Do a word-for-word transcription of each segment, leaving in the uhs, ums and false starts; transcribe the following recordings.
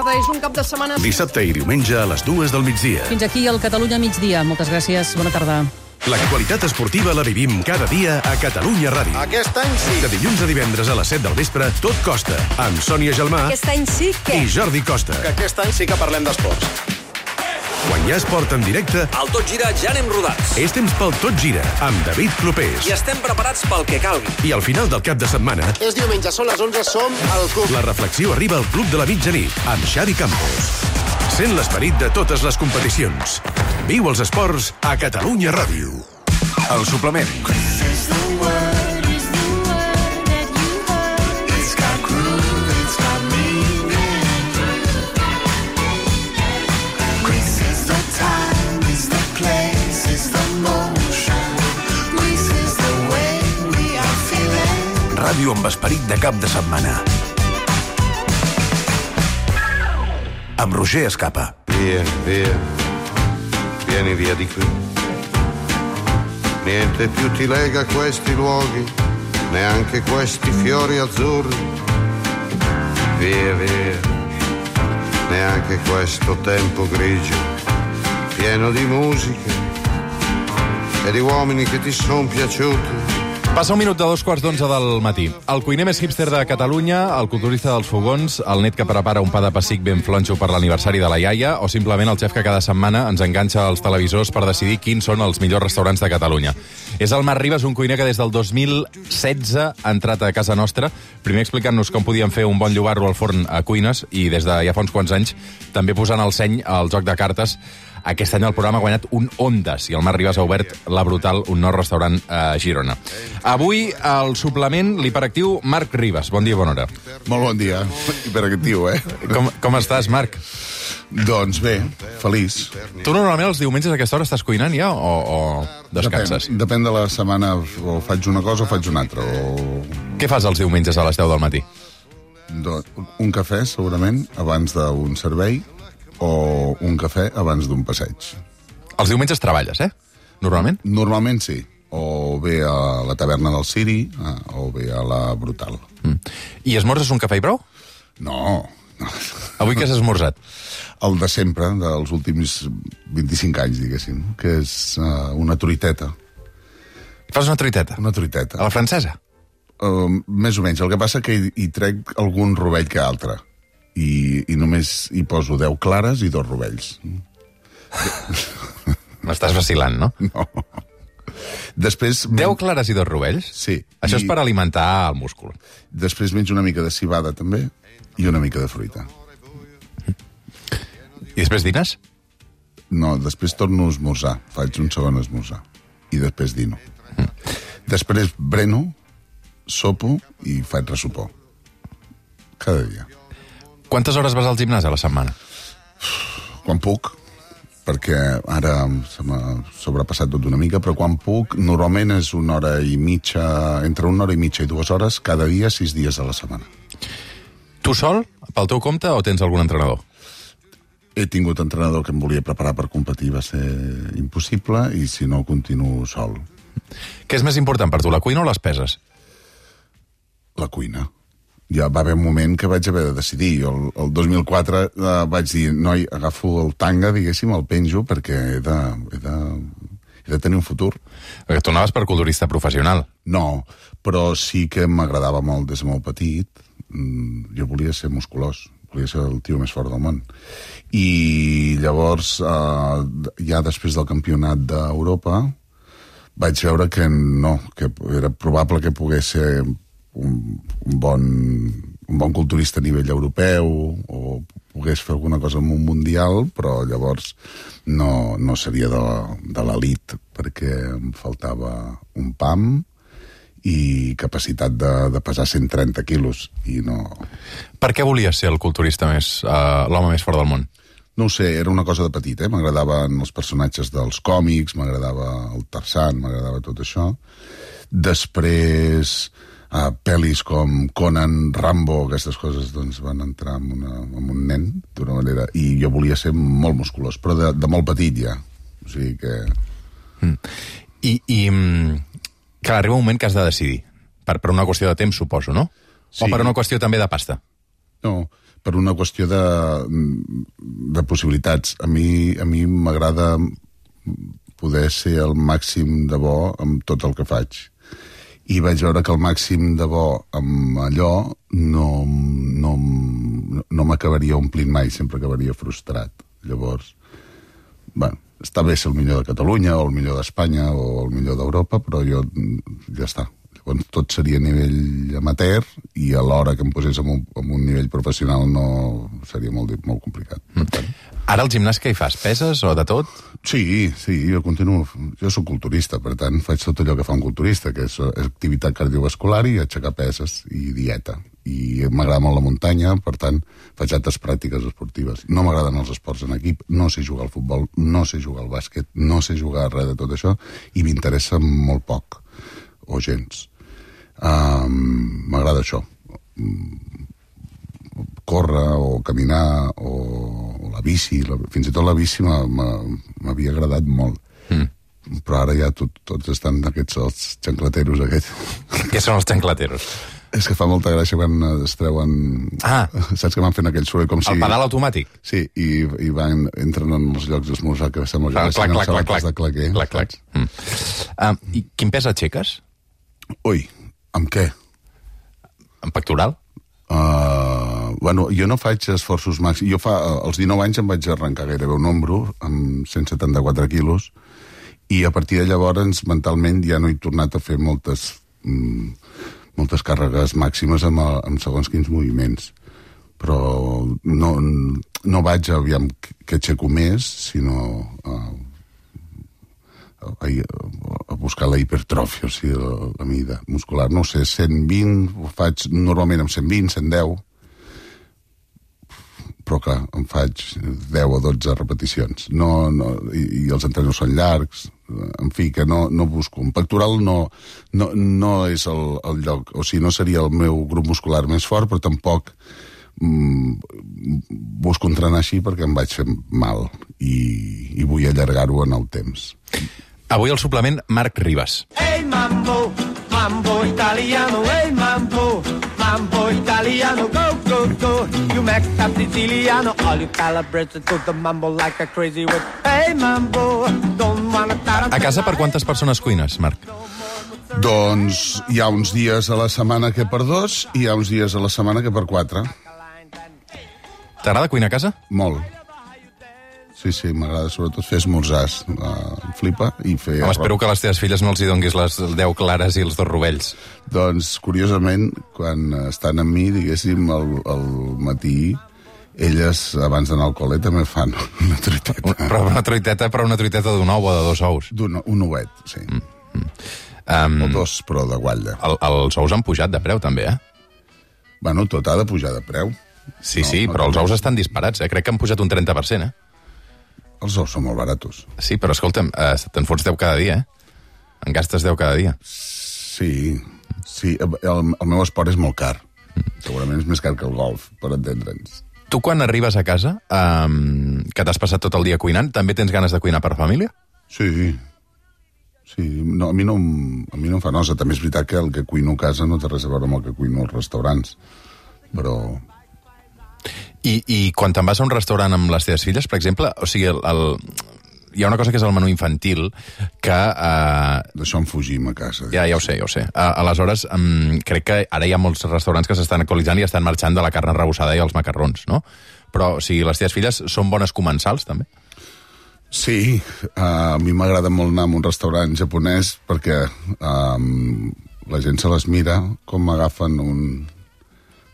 tarda. És un cap de setmana... Dissabte i diumenge a les dues del migdia. Fins aquí el Catalunya migdia. Moltes gràcies. Bona tarda. L'actualitat esportiva la vivim cada dia a Catalunya Ràdio. Aquest any sí. De dilluns a divendres a les set del vespre, Tot Costa, amb Sònia Gelmà Aquest any sí que... i Jordi Costa. Que aquest any sí que parlem d'esports. Quan hi ha esport en directe, al Tot Gira ja anem rodats. és temps pel Tot Gira, amb David Clopés. I estem preparats pel que calgui. I al final del cap de setmana... És diumenge, són les onze, som al club. La reflexió arriba al Club de la Mitjanit, amb Xavi Campos. Sent l'esperit de totes les competicions. Viu els esports a Catalunya Ràdio. El suplement. Ràdio amb esperit de cap de setmana. Amb Roger Escapa. Via, via, vieni via di qui. Niente più ti lega a questi luoghi, neanche questi fiori azzurri. Via, via, neanche questo tempo grigio, pieno di musica e di uomini che ti son piaciuti. Passa un minut de dos quarts d'onze del matí. El cuiner més hipster de Catalunya, el culturista dels fogons, el net que prepara un pa de pessic ben flonxo per l'aniversari de la iaia, o simplement el xef que cada setmana ens enganxa als televisors per decidir quins són els millors restaurants de Catalunya. És el Marc Ribas, un cuiner que des del dos mil setze ha entrat a casa nostra, primer explicant-nos com podíem fer un bon llobarro al forn a cuines, i des de ja fa uns quants anys també posant el seny al joc de cartes. Aquest any el programa ha guanyat un Ondas i el Marc Ribas ha obert La Brutal, un nou restaurant a Girona. Avui, al suplement, l'hiperactiu Marc Ribas. Bon dia, bona hora. Molt bon dia. Hiperactiu, eh? Com, com estàs, Marc? Doncs bé, feliç. Tu normalment els diumenges a aquesta hora estàs cuinant ja o, o descanses? Depèn, depèn de la setmana, o faig una cosa o faig una altra. O... Què fas els diumenges a les deu del matí? Doncs, un cafè, segurament, abans d'un servei, o un cafè abans d'un passeig. Els diumenges treballes, eh? Normalment? Normalment sí. O bé a la taverna del Siri, o bé a la Brutal. Mm. I esmorzes un cafè i prou? No. no. Avui què has esmorzat? El de sempre, dels últims vint-i-cinc anys, diguéssim, que és uh, una truiteta. Fas una truiteta? Una truiteta. A la francesa? Uh, més o menys. El que passa que hi, hi trec algun rovell que altre. I, i només hi poso deu clares i dos rovells. M'estàs vacilant, no? No. Després... Deu clares i dos rovells? Sí. Això I... és per alimentar el múscul. Després menjo una mica de cibada, també, i una mica de fruita. I després dines? No, després torno a esmorzar. Faig un segon esmorzar. I després dino. Mm. Després breno, sopo i faig ressopor. Cada dia. Quantes hores vas al gimnàs a la setmana? Quan puc, perquè ara se m'ha sobrepassat tot una mica, però quan puc, normalment és una hora i mitja, entre una hora i mitja i dues hores, cada dia, sis dies a la setmana. Tu sol, pel teu compte, o tens algun entrenador? He tingut entrenador que em volia preparar per competir, va ser impossible, i si no, continuo sol. Què és més important per tu, la cuina o les peses? La cuina. Ja va haver un moment que vaig haver de decidir. El, el dos mil quatre eh, vaig dir, noi, agafo el tanga, diguéssim, el penjo, perquè he de, he de, he de tenir un futur. Perquè tu anaves per culturista professional. No, però sí que m'agradava molt des de molt petit. Jo volia ser musculós, volia ser el tio més fort del món. I llavors, eh, ja després del campionat d'Europa, vaig veure que no, que era probable que pogués ser Un, un, bon, un bon culturista a nivell europeu o pogués fer alguna cosa en un mundial, però llavors no, no seria de, de l'elit perquè em faltava un pam i capacitat de, de pesar cent trenta quilos i no... Per què volies ser el culturista més, uh, l'home més fort del món? No ho sé, era una cosa de petit, eh? M'agradaven els personatges dels còmics, m'agradava el Tarzan, m'agradava tot això. Després... Uh, pel·lis com Conan, Rambo, aquestes coses doncs, van entrar en, una, en un nen d'una manera, i jo volia ser molt musculós, però de, de molt petit ja, o sigui que... Mm. I, i que arriba un moment que has de decidir, per, per una qüestió de temps, suposo, no? Sí. O per una qüestió també de pasta? No, per una qüestió de, de possibilitats. A mi a mi m'agrada poder ser el màxim de bo amb tot el que faig. I vaig veure que el màxim de bo amb allò no, no, no m'acabaria omplint mai, sempre acabaria frustrat. Llavors, bueno, està bé ser el millor de Catalunya o el millor d'Espanya o el millor d'Europa, però jo ja està. Llavors tot seria a nivell amateur i a l'hora que em posés en un, en un nivell professional no seria molt, molt complicat. Per tant. Ara al gimnàs què hi fas? Peses o de tot? Sí, sí, jo continuo. Jo soc culturista, per tant faig tot allò que fa un culturista, que és activitat cardiovascular i aixecar peses i dieta. I m'agrada molt la muntanya, per tant faig altres pràctiques esportives. No m'agraden els esports en equip, no sé jugar al futbol, no sé jugar al bàsquet, no sé jugar a res de tot això i m'interessa molt poc, o gens. Um, m'agrada això. Córrer o caminar o, o la bici, la, fins i tot la bici m'havia agradat molt. Mm. Però ara ja tot, tots estan aquests els xanclateros aquests. Què són els xanclateros? És que fa molta gràcia quan es treuen... Ah. Saps que van fent aquell soroll com si... El pedal automàtic? Sí, i, i van, entren en els llocs d'esmorzar que sembla que deixen els sabates de claquer. Clac, clac. Mm. Uh, I quin pes aixeques? Ui, amb què? En pectoral? Uh, bueno, jo no faig esforços màxims. Jo fa, als dinou anys em vaig arrencar gairebé un ombro amb cent setanta-quatre quilos i a partir de llavors mentalment ja no he tornat a fer moltes... Mm, moltes càrregues màximes amb, amb segons quins moviments. Però no, no vaig aviam que aixeco més, sinó a, a, a buscar la hipertròfia, o sigui, la, la mida muscular. No sé, cent vint, ho faig normalment amb cent vint, cent deu, però clar, em faig deu o dotze repeticions. No, no, i, i els entrenos són llargs, en fi, que no, no busco. Un pectoral no, no, no és el, el lloc, o sigui, no seria el meu grup muscular més fort, però tampoc mm, busco entrenar així perquè em vaig fer mal i, i vull allargar-ho en el temps. Avui al suplement, Marc Ribas. Hey mambo, mambo italiano, hey mambo, mambo italiano, go, go, go. You Mexican siciliano, all you calabrese to the mambo like a crazy with. Hey mambo, don't wanna tarantella. A casa per quantes persones cuines, Marc? Doncs hi ha uns dies a la setmana que per dos i hi ha uns dies a la setmana que per quatre. T'agrada cuinar a casa? Molt. Sí, sí, m'agrada sobretot fer esmorzars. Uh, flipa i fer... Home, espero que a les teves filles no els hi donguis les deu clares i els dos rovells. Doncs, curiosament, quan estan amb mi, diguéssim, al, al matí, elles, abans d'anar al col·le, també fan una truiteta. Però una truiteta, però una truiteta d'un ou o de dos ous. D'un un ouet, sí. Mm, mm. Um, o dos, però de guatlla. El, els ous han pujat de preu, també, eh? Bueno, tot ha de pujar de preu. Sí, no, sí, no, però no, els ous estan disparats, eh? Crec que han pujat un trenta per cent, eh? Els ous són molt baratos. Sí, però escolta'm, eh, te'n fots deu cada dia, eh? En gastes deu cada dia. Sí, sí. El, el meu esport és molt car. Segurament és més car que el golf, per entendre'ns. Tu, quan arribes a casa, eh, que t'has passat tot el dia cuinant, també tens ganes de cuinar per família? Sí. Sí, no, a, mi no, a mi no em fa nosa. També és veritat que el que cuino a casa no té res a veure amb el que cuino als restaurants. Però... I, I quan te'n vas a un restaurant amb les teves filles, per exemple, o sigui, el, el, hi ha una cosa que és el menú infantil que... Eh, D'això en fugim a casa. Ja, ja ho sé, ja ho sé. Uh, aleshores, um, crec que ara hi ha molts restaurants que s'estan actualitzant i estan marxant de la carn arrebossada i els macarrons, no? Però, o sigui, les teves filles són bones comensals, també? Sí, uh, a mi m'agrada molt anar a un restaurant japonès perquè um, la gent se les mira com agafen un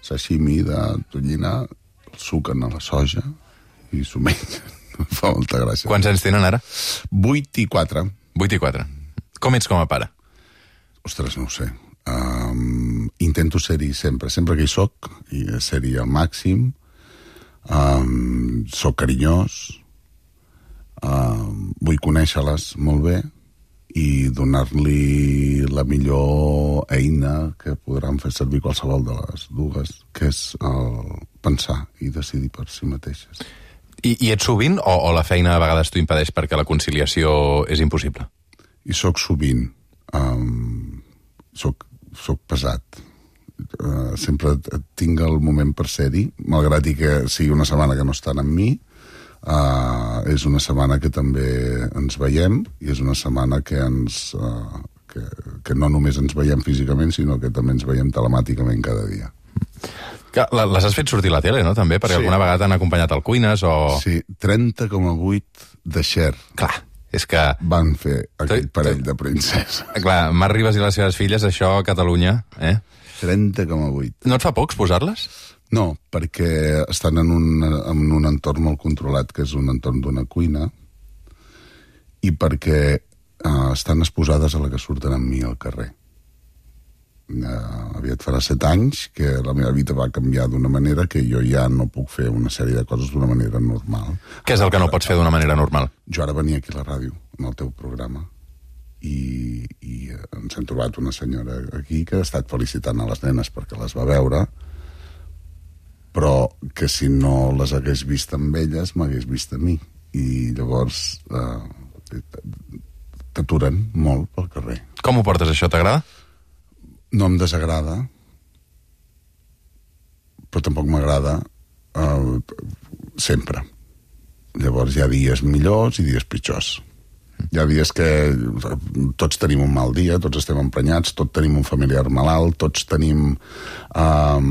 sashimi de tonyina, el suquen a la soja i s'ho mengen. Fa molta gràcia. Quants anys tenen ara? Vuit i quatre. Vuit i quatre. Com ets com a pare? Ostres, no ho sé. Um, intento ser-hi sempre. Sempre que hi soc, i ser-hi al màxim. Um, soc carinyós. Um, vull conèixer-les molt bé i donar-li la millor eina que podran fer servir qualsevol de les dues, que és el pensar i decidir per si mateixes. I, i ets sovint o, o la feina a vegades t'ho impedeix perquè la conciliació és impossible? I soc sovint. Um, soc, soc pesat. uh, sempre tinc el moment per ser-hi, malgrat i que sigui una setmana que no estan amb mi. Uh, és una setmana que també ens veiem i és una setmana que ens uh, que, que no només ens veiem físicament, sinó que també ens veiem telemàticament cada dia. Que les has fet sortir a la tele, no?, també? Perquè sí. Alguna vegada t'han acompanyat al Cuines o... Sí, trenta coma vuit de Cher. Clar, és que... Van fer aquell parell de princesa. Clar, Mar Ribas i les seves filles, això a Catalunya, eh? trenta coma vuit. No et fa pocs posar-les? No, perquè estan en un, en un entorn molt controlat, que és un entorn d'una cuina, i perquè uh, estan exposades a la que surten amb mi al carrer. Uh, aviat farà set anys que la meva vida va canviar d'una manera que jo ja no puc fer una sèrie de coses d'una manera normal. Què és el que no pots fer d'una manera normal? Jo ara venia aquí a la ràdio, en el teu programa, i, i ens hem trobat una senyora aquí que ha estat felicitant a les nenes perquè les va veure, però que si no les hagués vist amb elles m'hagués vist a mi, i llavors uh, t'aturen molt pel carrer. Com ho portes, això? T'agrada? No em desagrada, però tampoc m'agrada uh, sempre. Llavors hi ha dies millors i dies pitjors. Hi ha dies que tots tenim un mal dia, tots estem emprenyats, tots tenim un familiar malalt, tots tenim um,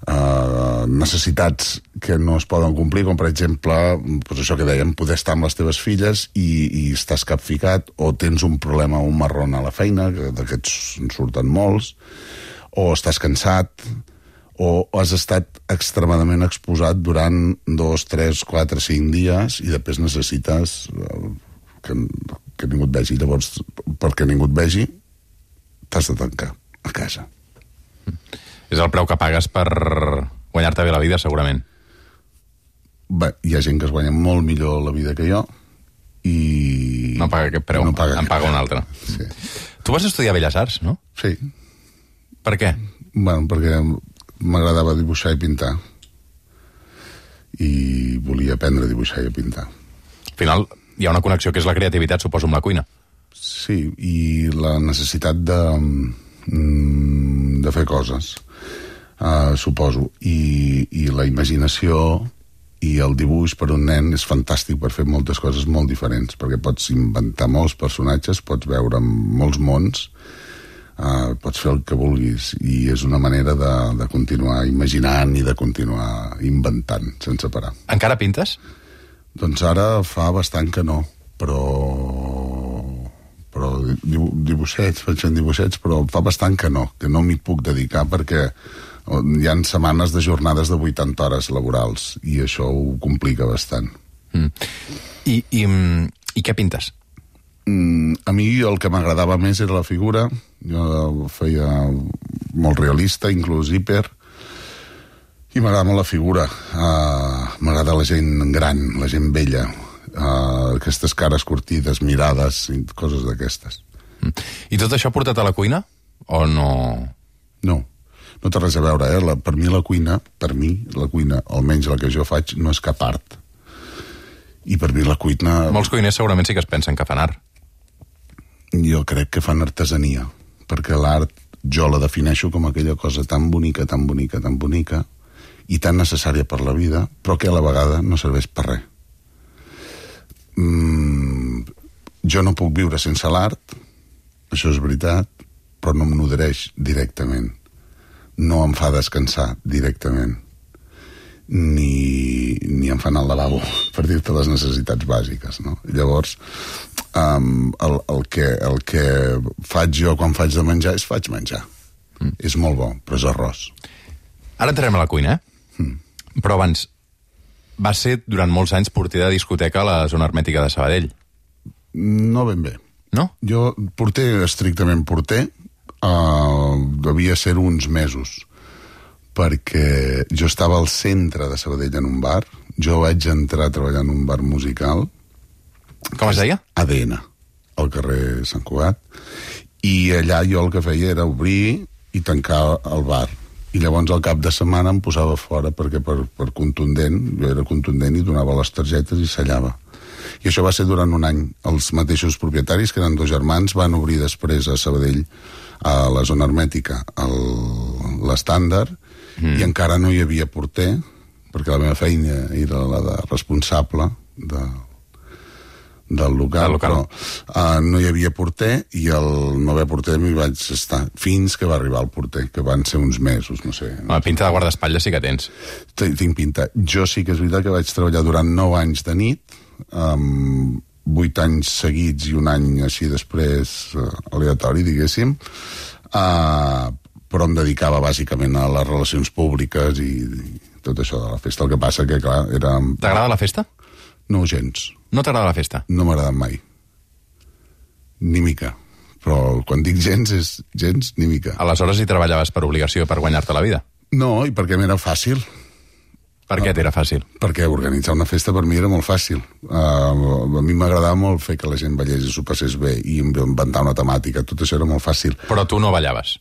uh, necessitats que no es poden complir, com per exemple, doncs això que dèiem, poder estar amb les teves filles i, i estàs capficat, o tens un problema, un marrón a la feina, que d'aquests en surten molts, o estàs cansat, o has estat extremadament exposat durant dos, tres, quatre, cinc dies i després necessites que, que ningú et vegi. Llavors, perquè ningú et vegi, t'has de tancar a casa. És el preu que pagues per guanyar-te bé la vida, segurament. Bé, hi ha gent que es guanya molt millor la vida que jo i... No paga aquest preu, no paga en paga un altre. Sí. Tu vas estudiar Belles Arts, no? Sí. Per què? Bueno, perquè m'agradava dibuixar i pintar. I volia aprendre a dibuixar i a pintar. Al final hi ha una connexió que és la creativitat, suposo, amb la cuina. Sí, i la necessitat de, de fer coses, uh, suposo. I, I la imaginació i el dibuix per un nen és fantàstic per fer moltes coses molt diferents, perquè pots inventar molts personatges, pots veure molts mons, uh, pots fer el que vulguis, i és una manera de, de continuar imaginant i de continuar inventant sense parar. Encara pintes? Doncs ara fa bastant que no, però però dibuixets, faig dibuixets, però fa bastant que no, que no m'hi puc dedicar perquè hi ha setmanes de jornades de vuitanta hores laborals i això ho complica bastant. Mm. I, i, I què pintes? Mm, a mi el que m'agradava més era la figura. Jo feia molt realista, inclús hiper, i m'agrada molt la figura. Uh, m'agrada la gent gran, la gent vella, uh, aquestes cares curtides, mirades, coses d'aquestes. Mm. I tot això portat a la cuina? O no? No. No té res a veure, eh? La, per mi la cuina, per mi la cuina, almenys la que jo faig, no és cap art. I per mi la cuina... Molts cuiners segurament sí que es pensen que fan art. Jo crec que fan artesania, perquè l'art jo la defineixo com aquella cosa tan bonica, tan bonica, tan bonica, i tan necessària per la vida, però que a la vegada no serveix per res. Mm, jo no puc viure sense l'art, això és veritat, però no em nodreix directament. No em fa descansar directament, ni, ni em fan al lavabo, per dir-te les necessitats bàsiques, no? Llavors, um, el, el, que, el que faig jo quan faig de menjar és faig menjar. Mm. És molt bo, però és arròs. Ara entrarem a la cuina, eh? Mm. Però abans, va ser durant molts anys porter de discoteca a la zona hermètica de Sabadell. No ben bé. No? Jo porter, estrictament porter, Uh, devia ser uns mesos, perquè jo estava al centre de Sabadell en un bar. Jo vaig entrar a treballar en un bar musical. Com es deia? A D N, al carrer Sant Cugat, i allà jo el que feia era obrir i tancar el bar, i llavors al cap de setmana em posava fora perquè per, per contundent, jo era contundent i donava les targetes i sellava. I això va ser durant un any. Els mateixos propietaris, que eren dos germans, van obrir després a Sabadell, a la zona hermètica, el, l'estàndard, mm. i encara no hi havia porter, perquè la meva feina era la de responsable de, del local, local. però uh, no hi havia porter, i el no haver porter m'hi vaig estar fins que va arribar el porter, que van ser uns mesos, no sé. La pinta de guardaespatlles sí que tens. Tinc pinta. Jo sí que és veritat que vaig treballar durant nou anys de nit, amb vuit anys seguits i un any així després uh, aleatori, diguéssim, uh, però em dedicava bàsicament a les relacions públiques i, i tot això de la festa. El que passa que, clar, era... T'agrada la festa? No, gens. No t'agrada la festa? No m'ha agradat mai. Ni mica. Però quan dic gens, és gens ni mica. Aleshores hi treballaves per obligació, per guanyar-te la vida? No, i perquè m'era fàcil. Per què t'era fàcil? Perquè organitzar una festa per mi era molt fàcil. Uh, a mi m'agradava molt fer que la gent ballés i s'ho passés bé i inventar una temàtica. Tot això era molt fàcil. Però tu no ballaves?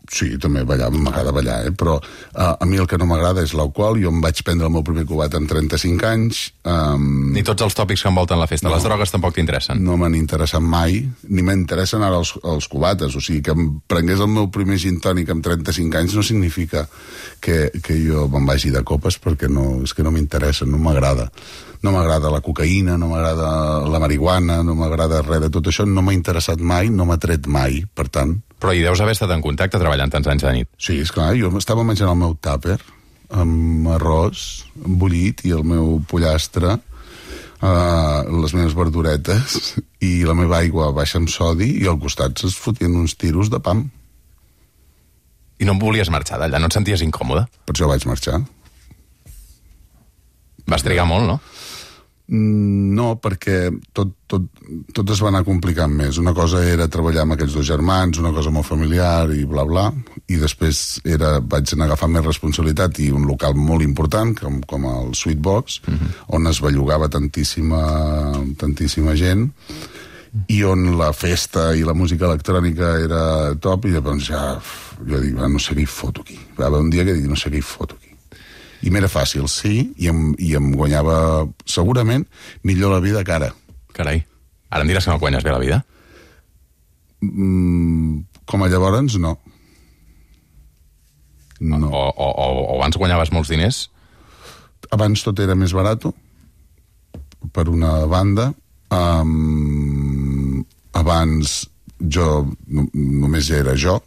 Sí, també ballava, m'agrada ballar, eh? Però uh, a mi el que no m'agrada és l'alcohol. Jo em vaig prendre el meu primer cubat amb trenta-cinc anys. Um... Ni tots els tòpics que envolten la festa. No. Les drogues tampoc t'interessen? No m'han interessat mai, ni m'interessen ara els, els cubates. O sigui, que em prengués el meu primer gin tònic amb trenta-cinc anys no significa que, que jo me'n vagi de copes, perquè no, és que no m'interessa, no m'agrada. No m'agrada la cocaïna, no m'agrada la marihuana, no m'agrada res de tot això. No m'ha interessat mai, no m'ha tret mai, per tant... Però hi deus haver estat en contacte treballant tants anys de nit. Sí, esclar, jo estava menjant el meu tàper amb arròs, amb bullit i el meu pollastre, uh, les meves verduretes i la meva aigua baixa amb sodi, i al costat es fotien uns tiros de pam. I no em volies marxar d'allà? No et senties incòmode? Per això vaig marxar. Vas trigar molt, no? No, perquè tot, tot, tot es va anar complicant més. Una cosa era treballar amb aquests dos germans, una cosa molt familiar i bla bla, i després era, vaig anar a agafar més responsabilitat i un local molt important com, com el Sweetbox, uh-huh. on es bellugava tantíssima, tantíssima gent, i on la festa i la música electrònica era top, i llavors ja jo dic, no sé què hi foto aquí. Va haver un dia que dic, no sé què hi foto aquí. I m'era fàcil, sí, i em, i em guanyava segurament millor la vida que ara. Carai, ara em diràs que no guanyes bé la vida? Mm, com a llavors, no. No. O, o, o, o abans guanyaves molts diners? Abans tot era més barat, per una banda. Um, abans jo no, només ja era jo,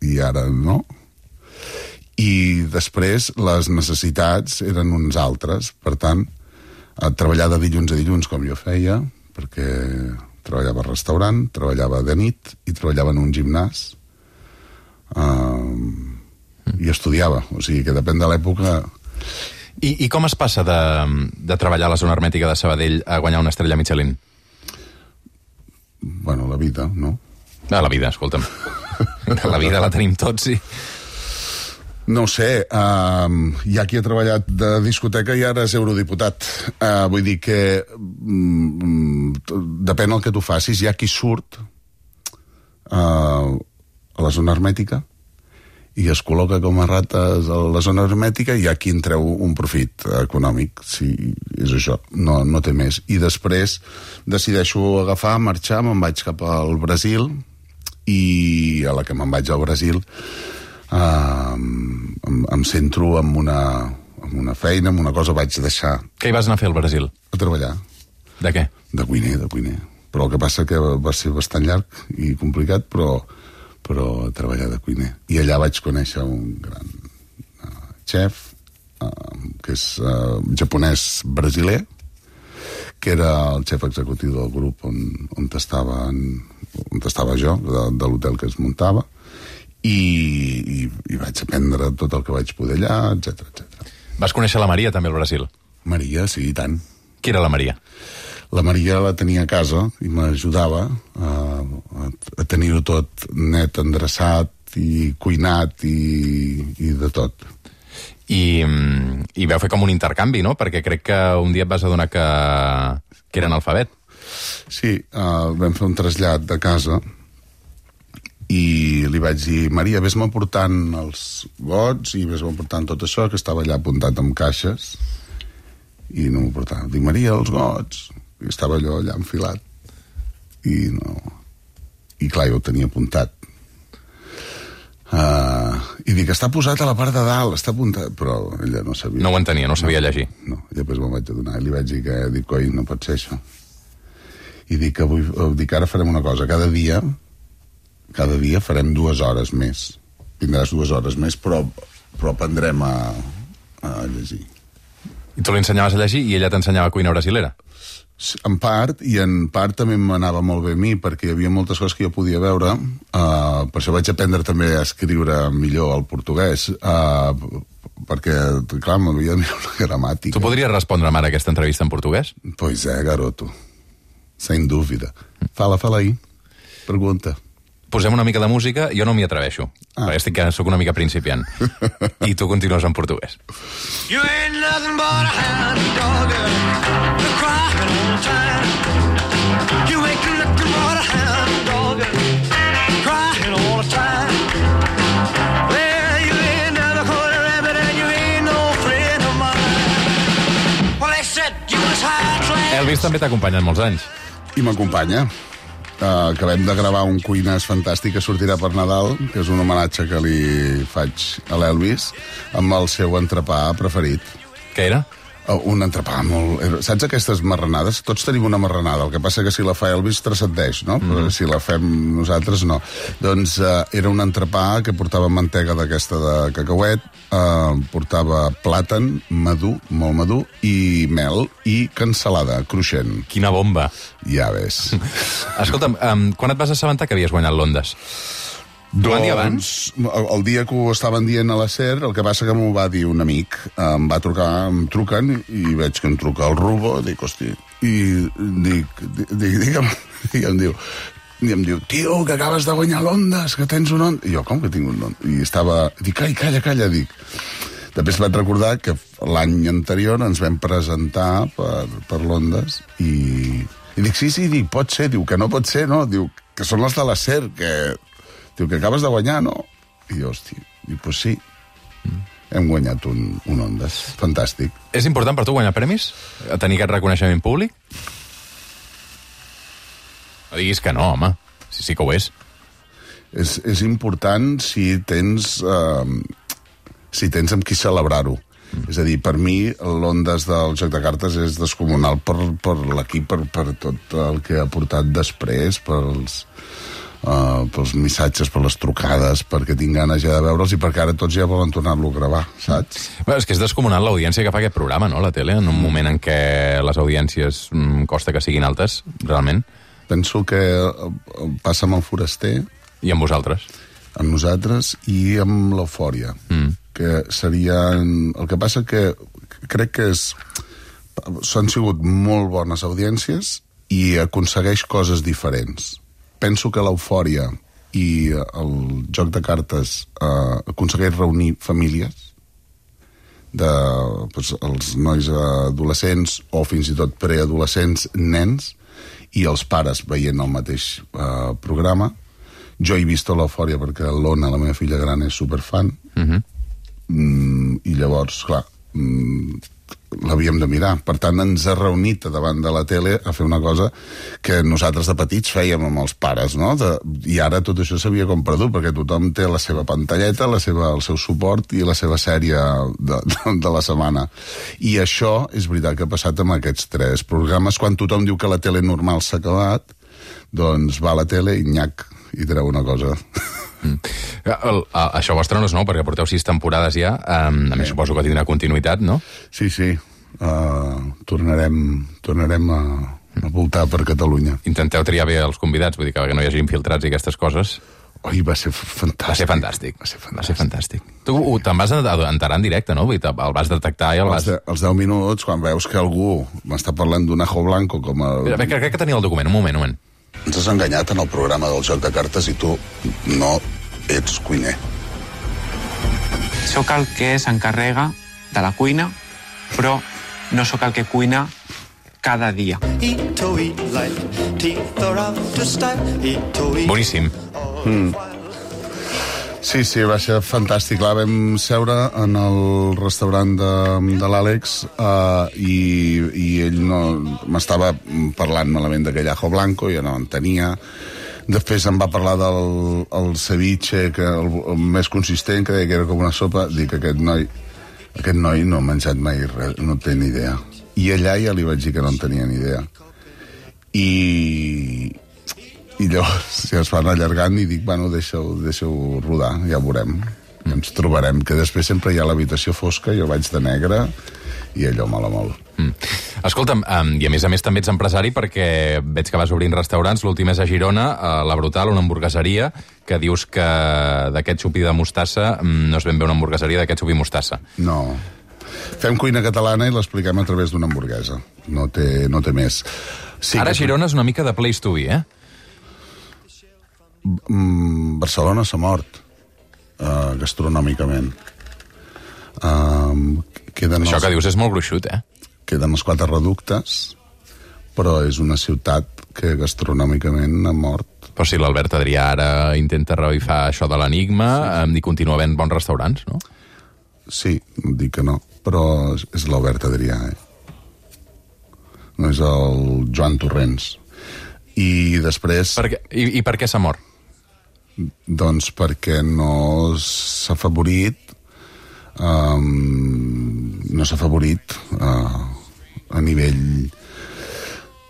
i ara no. I després les necessitats eren uns altres. Per tant, treballar de dilluns a dilluns com jo feia, perquè treballava al restaurant, treballava de nit i treballava en un gimnàs, um, i estudiava. O sigui que depèn de l'època. I, I com es passa de, de treballar a la zona hermètica de Sabadell a guanyar una estrella Michelin? Bueno, la vida, no? Ah, la vida, escolta'm. La vida la tenim tots, sí. No ho sé, uh, hi ha qui ha treballat de discoteca i ara és eurodiputat. Uh, vull dir que um, depèn el que tu facis. Hi ha qui surt uh, a la zona hermètica i es col·loca com a rates a la zona hermètica, i hi ha qui en treu un profit econòmic. Sí, és això, no, no té més. I després decideixo agafar, marxar, me'n vaig cap al Brasil, i a la que me'n vaig al Brasil Uh, em, em centro en una, en una feina, en una cosa vaig deixar. Què hi vas anar a fer al Brasil? A treballar. De què? De cuiner, de cuiner. Però el que passa que va ser bastant llarg i complicat, però, però a treballar de cuiner. I allà vaig conèixer un gran uh, xef, uh, que és uh, japonès brasiler, que era el xef executiu del grup on, on, estava, on estava jo, de, de l'hotel que es muntava, I, i, i vaig aprendre tot el que vaig poder allà, etcètera, etcètera. Vas conèixer la Maria també al Brasil? Maria, sí, i tant. Qui era la Maria? La Maria la tenia a casa i m'ajudava a, a, a tenir-ho tot net, endreçat i cuinat i, i de tot. I, I vau fer com un intercanvi, no? Perquè crec que un dia et vas adonar que, que era analfabet. Sí, uh, vam fer un trasllat de casa i li vaig dir, Maria, vés-me portant els gots i vés-me portant tot això, que estava allà apuntat amb caixes, i no m'ho portava. Dic, Maria, els gots. I estava allò allà enfilat. I no... I clar, jo ho tenia apuntat. Uh, I dic, està posat a la part de dalt, està apuntat... Però ella no sabia. No ho entenia, no sabia llegir. No, i després me'n vaig adonar i li vaig dir que, dic, coi, no pot ser això. I dic que avui, dic, ara farem una cosa, cada dia, cada dia farem dues hores més. Tindràs dues hores més, però, però aprendrem a, a llegir. I tu li ensenyaves a llegir i ella t'ensenyava cuina brasilera? En part, i en part també m'anava molt bé a mi, perquè hi havia moltes coses que jo podia veure, uh, per això vaig aprendre també a escriure millor el portuguès, uh, perquè, clar, m'havia de mirar una gramàtica. Tu podries respondre'm ara aquesta entrevista en portuguès? Pois é, garoto. Sem dúvida. Fala, fala aí. Pergunta. Posem una mica de música, jo no m'hi atreveixo, ah. perquè estic, soc una mica principiant. I tu continues en portuguès. You ain't nothing but a hound dog, you're crying all the time. You ain't nothing but a hound dog, crying all the time. Well, you ain't never caught a rabbit and you ain't no friend of mine. Well, they said you was high class. Elvis també t'ha acompanyat molts anys. I m'acompanya. Uh, acabem de gravar un Cuines Fantàstic que sortirà per Nadal, que és un homenatge que li faig a l'Elvis, amb el seu entrepà preferit. Què era? Uh, un entrepà molt... Saps aquestes marranades? Tots tenim una marranada, el que passa que si la fa Elvis transcendeix, no? Mm. Però si la fem nosaltres, no. Doncs uh, era un entrepà que portava mantega d'aquesta de cacauet, uh, portava plàtan, madur, molt madur, i mel, i cansalada, cruixent. Quina bomba. Ja ves. Escolta'm, um, quan et vas assabentar que havies guanyat l'Ondes? T'ho van dir abans? El dia que ho estaven dient a la SER, el que passa que m'ho va dir un amic. Em va trucar, em truquen, i veig que em truca el Rubo, dic, hosti, i dic, dic, digue'm, i em diu, i em diu, tio, que acabes de guanyar l'Ondes, que tens un Ondes. I jo, com que tinc un Ondes? I estava, dic, ai, calla, calla, dic. Després vaig recordar que l'any anterior ens vam presentar per, per l'Ondes, i, i dic, sí, sí, dic, pot ser, diu, que no pot ser, no? Diu, que són els de la SER, que... Diu, que acabes de guanyar, no? I jo, hosti, dic, pues sí, mm. hem guanyat un, un Ondes. Fantàstic. És important per tu guanyar premis? Tenir aquest reconeixement públic? No diguis que no, home. Sí, sí que ho és. És, és important si tens, eh, si tens amb qui celebrar-ho. Mm. És a dir, per mi, l'Ondes del joc de cartes és descomunal per, per l'equip, per, per tot el que ha portat després, pels... Uh, pels missatges, per les trucades, perquè tinc ganes ja de veure'ls i perquè ara tots ja volen tornar-lo a gravar, saps? Bé, és que és descomunal l'audiència que fa aquest programa, no?, la tele, en un moment en què les audiències mm, costa que siguin altes, realment. Penso que passa amb el Foraster... I amb vosaltres. Amb nosaltres i amb l'Eufòria. Mm. Que serien... El que passa que crec que és... S'han sigut molt bones audiències i aconsegueix coses diferents. Penso que l'Eufòria i el joc de cartes eh, aconsegueix reunir famílies de pues, els nois adolescents o fins i tot preadolescents, nens, i els pares veient el mateix eh, programa. Jo he vist l'Eufòria perquè l'Ona, la meva filla gran, és superfan. Uh-huh. mm, I llavors, clar, mm, l'havíem de mirar. Per tant, ens ha reunit davant de la tele a fer una cosa que nosaltres de petits fèiem amb els pares, no? De, I ara tot això s'havia com perdut, perquè tothom té la seva pantalleta, la seva, el seu suport i la seva sèrie de, de, de la setmana. I això és veritat que ha passat amb aquests tres programes. Quan tothom diu que la tele normal s'ha acabat, doncs va a la tele i nyac, i treu una cosa... Mm. El, a, això vostre no és nou, perquè porteu sis temporades ja, um, a més sí. Suposo que tindrà continuïtat, no? Sí, sí, uh, tornarem, tornarem a, a voltar per Catalunya. Intenteu triar bé els convidats, vull dir que no hi hagi infiltrats i aquestes coses. Oi, va ser fantàstic. Va ser fantàstic. Va ser fantàstic. Va ser fantàstic. Tu te'n vas enterar en directe, no? Vull dir, el vas detectar i el vas... Els, de, els deu minuts, quan veus que algú m'està parlant d'un ajo blanco com el... Mira, crec que tenia el document, un moment, un moment. Ens has enganyat en el programa del joc de cartes i tu no ets cuiner. Sóc el que s'encarrega de la cuina, però no sóc el que cuina cada dia. Boníssim. Mm. Sí, sí, va ser fantàstic. Clar, vam seure en el restaurant de, de l'Àlex uh, i, i ell no, m'estava parlant malament d'aquell ajo blanco, jo no en tenia. Després em va parlar del el ceviche, que el, el més consistent, que deia que era com una sopa. Dic, aquest noi, aquest noi no ha menjat mai res, no té ni idea. I allà ja li vaig dir que no en tenia ni idea. I, i llavors ja es van allargant i dic, bueno, deixa-ho deixa rodar, ja ho veurem. Mm. Ens trobarem, que després sempre hi ha l'habitació fosca, jo vaig de negre i allò mola molt. Mm. Escolta'm, um, i a més a més també ets empresari perquè veig que vas obrint restaurants, l'últim és a Girona, a La Brutal, una hamburgueseria, que dius que d'aquest xupi de mostassa no és ben bé una hamburgueseria, d'aquest xupi mostassa. No. Fem cuina catalana i l'expliquem a través d'una hamburguesa. No té, no té més. Sí, Ara que... Girona és una mica de place to be, eh? Mm, Barcelona s'ha mort uh, gastronòmicament. Uh, queden Això els... que dius és molt gruixut, eh? Queden els quatre reductes, però és una ciutat que gastronòmicament ha mort. Però si l'Albert Adrià ara intenta revifar això de l'enigma, sí. i continua havent bons restaurants, no? Sí, dic que no, però és l'Albert Adrià, eh? No és el Joan Torrents. I després... Per què? I, I per què s'ha mort? Doncs perquè no s'ha afavorit um, no s'ha afavorit uh, a nivell...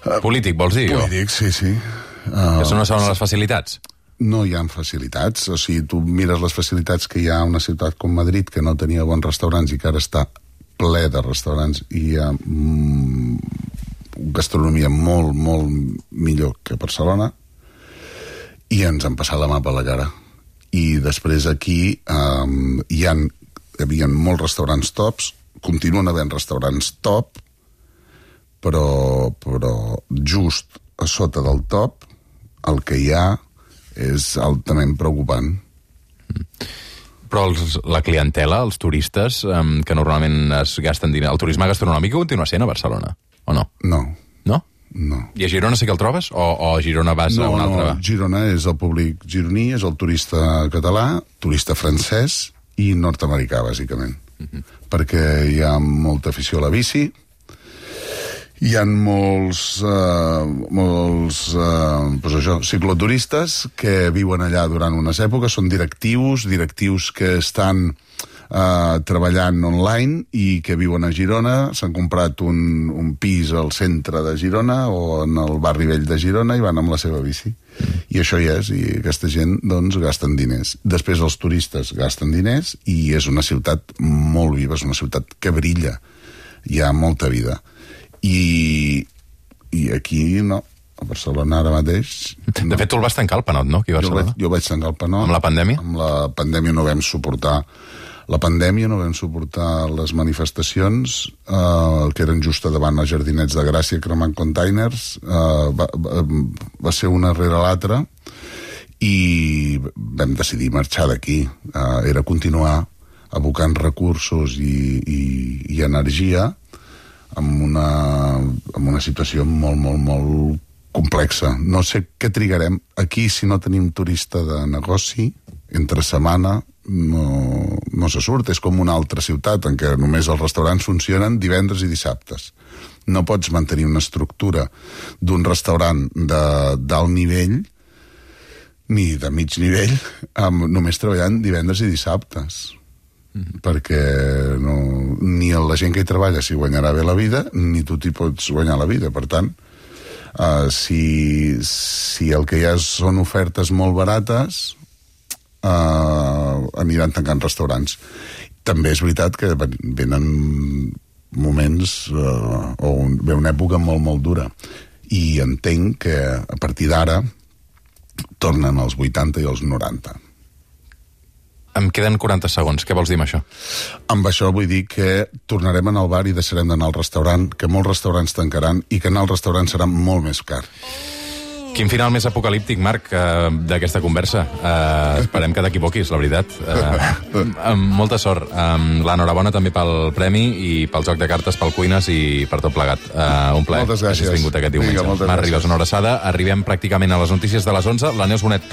Uh, polític, vols dir? Polític, o? sí, sí. Uh, que no són les facilitats? No hi ha facilitats. O sigui, tu mires les facilitats que hi ha a una ciutat com Madrid, que no tenia bons restaurants i que ara està ple de restaurants i hi ha mm, gastronomia molt, molt millor que a Barcelona, i ens han passat la mà per la cara. I després aquí um, hi ha, hi havia molts restaurants tops, continuen havent restaurants top, però, però just a sota del top el que hi ha és altament preocupant. Però els, la clientela, els turistes, um, que normalment es gasten diner, el turisme gastronòmic continua sent a Barcelona, o no? No. No? No. I a Girona sí que el trobes? O, o a Girona vas no, a un altre? No, Girona és el públic gironí, és el turista català, turista francès i nord-americà, bàsicament. Uh-huh. Perquè hi ha molta afició a la bici, hi ha molts, uh, molts uh, pues això, cicloturistes que viuen allà durant unes èpoques, són directius, directius que estan uh, treballant online i que viuen a Girona, s'han comprat un, un pis al centre de Girona o en el barri vell de Girona i van amb la seva bici. I això hi és, i aquesta gent doncs gasten diners. Després els turistes gasten diners i és una ciutat molt viva, és una ciutat que brilla, hi ha molta vida. I, i aquí no, a Barcelona ara mateix no. De fet tu el vas tancar al Panot, no? Aquí a jo, vaig, jo vaig tancar el Panot. Amb la pandèmia? Amb la pandèmia no vam suportar la pandèmia, no vam suportar les manifestacions eh, que eren just davant els Jardinets de Gràcia cremant containers, eh, va, va, va ser una rere l'altra i vam decidir marxar d'aquí. Eh, era continuar abocant recursos i, i, i energia amb una, amb una situació molt, molt, molt complexa. No sé què trigarem. Aquí, si no tenim turista de negoci, entre setmana no, no se surt. És com una altra ciutat en què només els restaurants funcionen divendres i dissabtes. No pots mantenir una estructura d'un restaurant de d'alt nivell ni de mig nivell amb, només treballant divendres i dissabtes. Mm-hmm. Perquè no, ni la gent que hi treballa s'hi guanyarà bé la vida, ni tu t'hi pots guanyar la vida. Per tant, uh, si, si el que hi ha són ofertes molt barates, uh, aniran tancant restaurants. També és veritat que venen moments uh, o ve una època molt, molt dura. I entenc que a partir d'ara tornen als vuitanta i als noranta. Em queden quaranta segons. Què vols dir amb això? Amb això vull dir que tornarem a anar al bar i deixarem d'anar al restaurant, que molts restaurants tancaran i que anar al restaurant serà molt més car. Quin final més apocalíptic, Marc, eh, d'aquesta conversa. Eh, esperem que t'equivoquis, la veritat. Eh, amb molta sort. Eh, L'enhorabona també pel premi i pel joc de cartes, pel Cuines i per tot plegat. Eh, un plaer. Moltes gràcies. Que hagis vingut aquest diumenge. Marc Ribas, una abraçada. Arribem pràcticament a les notícies de les onze. La Neus Bonet,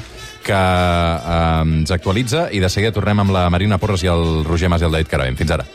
que eh, ens actualitza, i de seguida tornem amb la Marina Porres i el Roger Mas i el David Caravent. Fins ara.